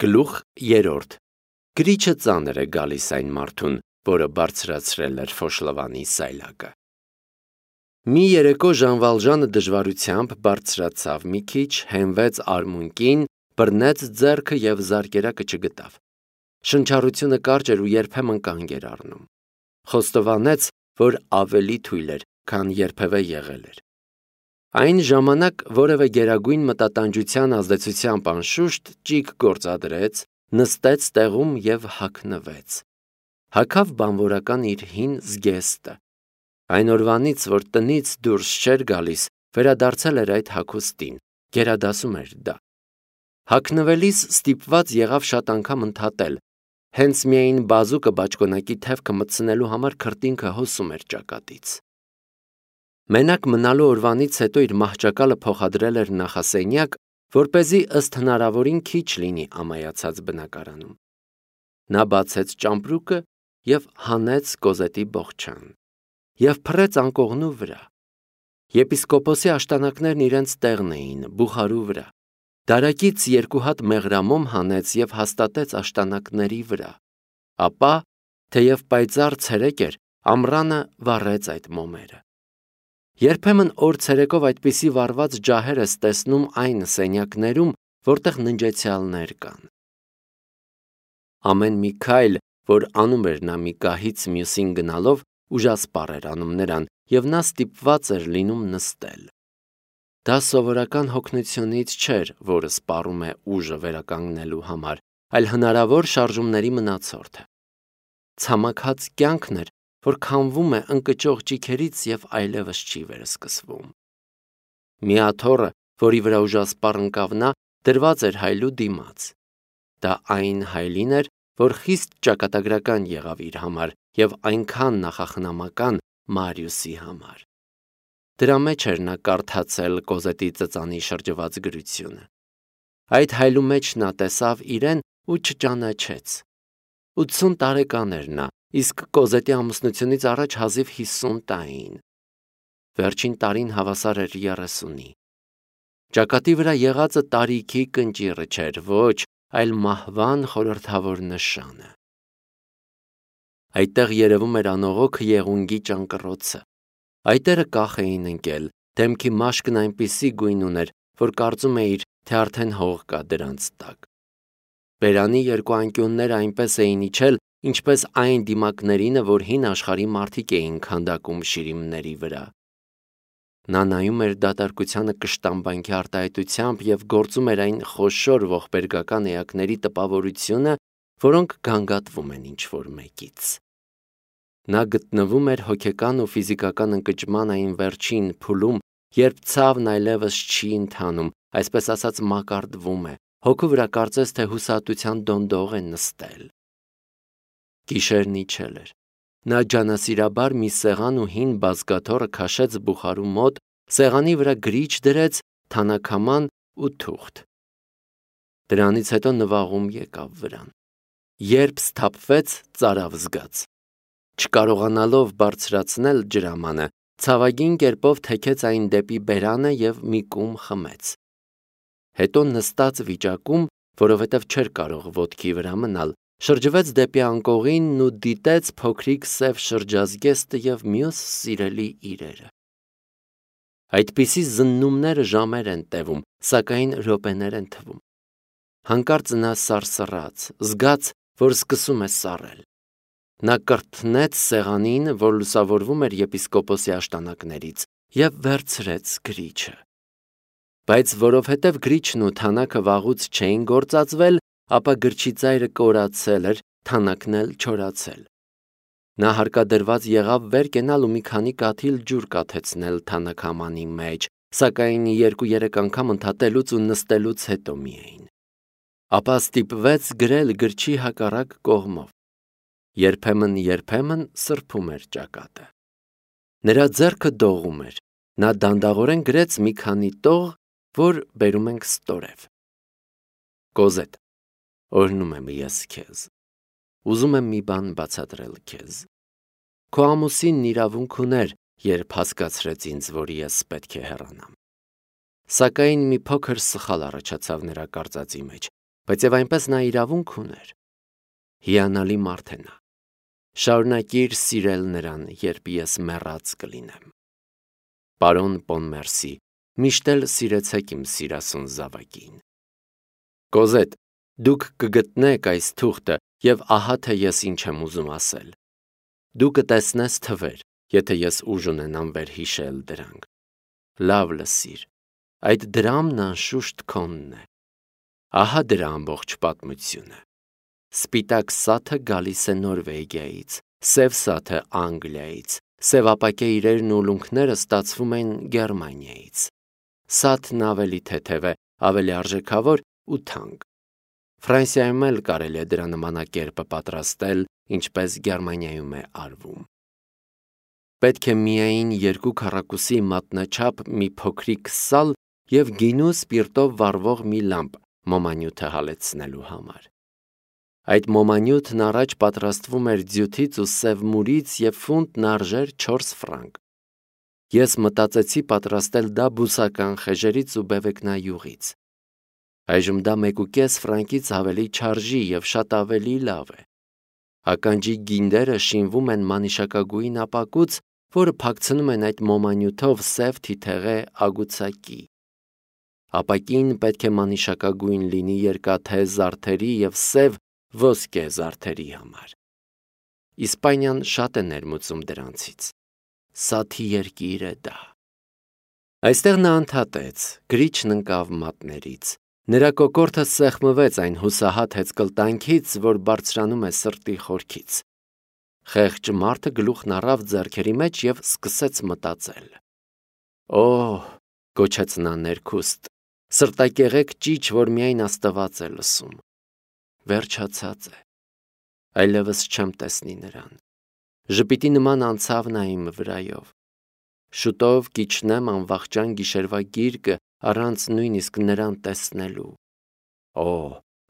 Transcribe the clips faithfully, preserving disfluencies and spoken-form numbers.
Գլուխ երրորդ. Գրիչը ծանր է գալիս այն մարդուն, որը բարձրացրել էր Ֆոշլովանի սայլակը։ Մի երեկո Ժան Վալժանը դժվարությամբ բարձրացավ մի քիչ, հենվեց արմունկին, բռնեց ձեռքը և զարկերակը չգտավ։ Շնչառությունը կարճ էր ու երբեմն կանգ էր առնում։ Խոստովանեց, որ ավելի թույլ էր, քան երբևէ եղել էր։ Այն ժամանակ որևէ գերագույն մտատանջության ազդեցությամբ անշուշտ ճիգ գործադրեց, նստեց տեղում և հագնվեց։ Հագավ բանվորական իր հին զգեստը։ Այն օրվանից, որ տնից դուրս չէր գալիս, վերադարձել էր այդ հագուստին, գերադասում էր դա։ Հագնվելիս ստիպված եղավ շատ անգամ ընդհատել, հենց միայն բազուկը բաճկոնակի թևքը մտցնելու համար քրտինքը հոսում էր ճակատից։ Մենակ մնալու օրվանից հետո իր մահճակալը փոխադրել էր նախասենյակ, որպեսզի ըստ հնարավորին քիչ լինի ամայացած բնակարանում։ Նա բացեց ճամպրուկը և հանեց Կոզետի բոխչան և փռեց անկողնու վրա։ Եպիսկոպոսի աշտանակներն իրենց տեղն էին, բուխարու վրա։ Դարակից երկու հատ մեղրամոմ հանեց և հաստատեց աշտանակների վրա։ Ապա, թեև պայծառ ցերեկ էր, ամռանը վառեց այդ մոմերը։ Երբեմն օր ցերեկով այդպիսի վառված ջահեր ես տեսնում այն սենյակներում, որտեղ ննջեցյալներ կան։ Ամեն մի քայլ, որ անում էր նա մի գահից մյուսին գնալով, ուժասպառ էր անում նրան, և նա ստիպված էր լինում նստել։ Դա սովորական հոգնությունից չէր, որը սպառում է ուժը վերականգնելու համար, այլ հնարավոր շարժումների մնացորդը։ Ցամաքած կյանքն էր, որ քամվում է ընկճող ճիգերից և այլևս չի վերսկսվում։ Մի աթոռը, որի վրա ուժասպառ ընկավ նա, դրված էր հայլու դիմաց։ Դա այն հայլին էր, որ խիստ ճակատագրական եղավ իր համար և այնքան նախախնամական Մարիուսի համար։ Դրա մեջ էր նա կարդացել Կոզետի ծծանի շրջված գրությունը։ Այդ հայլու մեջ նա տեսավ իրեն ու չճանաչեց։ Ութսուն տարեկան էր նա, իսկ Կոզետի ամուսնությունից առաջ հազիվ հիսուն տարին։ Վերջին տարին հավասար էր երեսունի։ Ճակատի վրա եղածը տարիքի կնճիռը չէր, ոչ, այլ մահվան խորհրդավոր նշանը։ Այդտեղ երևում էր անողոք եղունգի ճանկռոցը։ Այտերը կախ էին ընկել, դեմքի մաշկն այնպիսի գույն ուներ, որ կարծում էիր, թե արդեն հող կա դրանց տակ։ Բերանի երկու անկյունները այնպես էին իջել, ինչպես այն դիմակներինը, որ հին աշխարհի մարդիկ էին քանդակում շիրիմների վրա։ Նա նայում էր դատարկությանը կշտամբանքի արտահայտությամբ և գործում էր այն խոշոր ողբերգական էակների տպավորությունը, որոնք գանգատվում են ինչ-որ մեկից։ Նա գտնվում էր հոգեկան ու ֆիզիկական ընկճման այն վերջին փուլում, երբ ցավն այլևս չի ընթանում, այսպես ասած մակարդվում է, հոգու վրա կարծես թե հուսահատության դոնդող է նստել։ Գիշերն իջել էր։ Նա ջանասիրաբար մի սեղան ու հին բազկաթոռը քաշեց բուխարու մոտ, սեղանի վրա գրիչ դրեց, թանաքաման ու թուղթ։ Դրանից հետո նվաղում եկավ վրան։ Երբ սթափվեց, ծարավ զգաց։ Չկարողանալով բարձրացնել ջրամանը, ցավագին կերպով թեքեց այն դեպի բերանը և մի կում խմեց։ Հետո նստած վիճակում, որովհետև չէր կարող ոտքի վրա մնալ, շրջվեց դեպի անկողինն ու դիտեց փոքրիկ սև շրջազգեստը և մյուս սիրելի իրերը։ Այդպիսի զննումները ժամեր են տևում, սակայն րոպեներ են թվում։ Հանկարծ նա սարսռաց, զգաց, որ սկսում է սառել։ Նա կրթնեց սեղանին, որ լուսավորվում էր եպիսկոպոսի աշտանակներից, և վերցրեց գրիչը։ Բայց որովհետև գրիչն ու թանաքը վաղուց չէին գործածվել, ապա գրչի ծայրը կորացել էր, թանաքն էլ չորացել։ Նա հարկադրված եղավ վեր կենալ ու մի քանի կաթիլ ջուր կաթեցնել թանաքամանի մեջ, սակայն երկու-երեք անգամ ընդհատելուց ու նստելուց հետո միայն։ Ապա ստիպվեց գրել գրչի հակառակ կողմով։ Երբեմն-երբեմն սրբում էր ճակատը։ Նրա ձեռքը դողում էր։ Նա դանդաղորեն գրեց մի քանի տող, որ բերում ենք ստորև։ Կոզետ, օրհնում եմ ես քեզ։ Ուզում եմ մի բան բացատրել քեզ։ Քո ամուսինն իրավունք ուներ, երբ հասկացրեց ինձ, որ ես պետք է հեռանամ։ Սակայն մի փոքր սխալ առաջացավ նրա կարծածի մեջ, բայց եւ այնպես նա իրավունք ուներ։ Հիանալի մարդ է նա։ Շարունակիր սիրել նրան, երբ ես մեռած կլինեմ։ Պարոն Պոնմերսի, միշտ էլ սիրեցեք իմ սիրասուն զավակին։ Կոզետ, դուք կգտնեք այս թուղթը եւ ահա թե ես ինչ եմ ուզում ասել։ Դու կտեսնես թվեր, եթե ես ուժ ունենամ վերհիշել դրանք։ Լավ լսիր, այդ դրամն անշուշտ քոնն է։ Ահա դրա ամբողջ պատմությունը։ Սպիտակ սաթը գալիս է Նորվեգիայից, սև սաթը Անգլիայից, սևապակե իրերն ու ուլունքները ստացվում են Գերմանիայից։ Սաթն ավելի թեթև է, ավելի արժեքավոր ու թանկ։ Ֆրանսիայում էլ կարելի է դրա նմանակերպը պատրաստել, ինչպես Գերմանիայում է արվում։ Պետք է միայն երկու քառակուսի մատնաչափ մի փոքրիկ սալ եւ գինու սպիրտով վառվող մի լամպ մոմանյութը հալեցնելու համար։ Այդ մոմանյութն առաջ պատրաստվում էր ձյութից ու սև մուրից եւ ֆունտն արժեր չորս ֆրանկ։ Ես մտածեցի պատրաստել դա բուսական խեժերից ու բևեկնայուղից։ Այժմ դա մեկուկես ֆրանկից ավելի չարժի եւ շատ ավելի լավ է։ Ականջի գինդերը շինվում են մանիշակագույն ապակուց, որը փակցնում են այդ մոմանյութով սև թիթեղե ագուցակի։ Ապակին պետք է մանիշակագույն լինի երկաթե զարդերի եւ սև ոսկե զարդերի համար։ Իսպանիան շատ է ներմուծում դրանցից։ Սաթի երկիր է դա։ Այստեղ նա ընդհատեց, գրիչն ընկավ մատներից։ Նրա կոկորդը սեղմվեց այն հուսահատ հեծկլտանքից, որ բարձրանում է սրտի խորքից։ Խեղճ մարդը գլուխն առավ ձեռքերի մեջ եւ սկսեց մտածել։ Օհ, գոչեց նա ներքուստ, սրտակեղեկ ճիչ, որ միայն Աստված է լսում։ Վերջացած է։ Այլևս չեմ տեսնի նրան։ Ժպիտի նման անցավ նա իմ վրայով։ Շուտով կիջնեմ անվախճան գիշերվա գիրկը առանց նույնիսկ նրան տեսնելու։ Օ,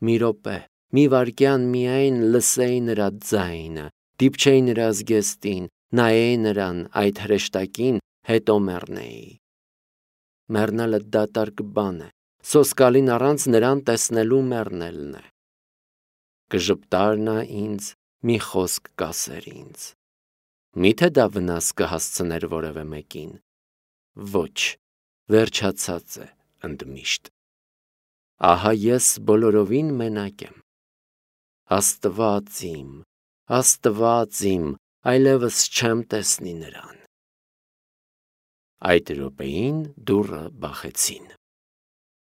մի րոպե, մի վայրկյան միայն լսեի նրա ձայնը, դիպչեի նրա զգեստին, նայեի նրան այդ հրեշտակին, հետո մեռնեի։ Մեռնելը դատարկ բան է, սոսկալին առանց նրան տեսնելու մեռնելն է։ Կժպտար նա ինձ, մի խոսք կասեր ինձ։ Միթե դա վնաս կհասցներ որևէ մեկին։ Ոչ, վերջացած է ընդմիշտ։ Ահա ես բոլորովին մենակ եմ։ Աստված իմ, Աստված իմ, այլևս չեմ տեսնի նրան։ Այդ րոպեին դուռը բախեցին։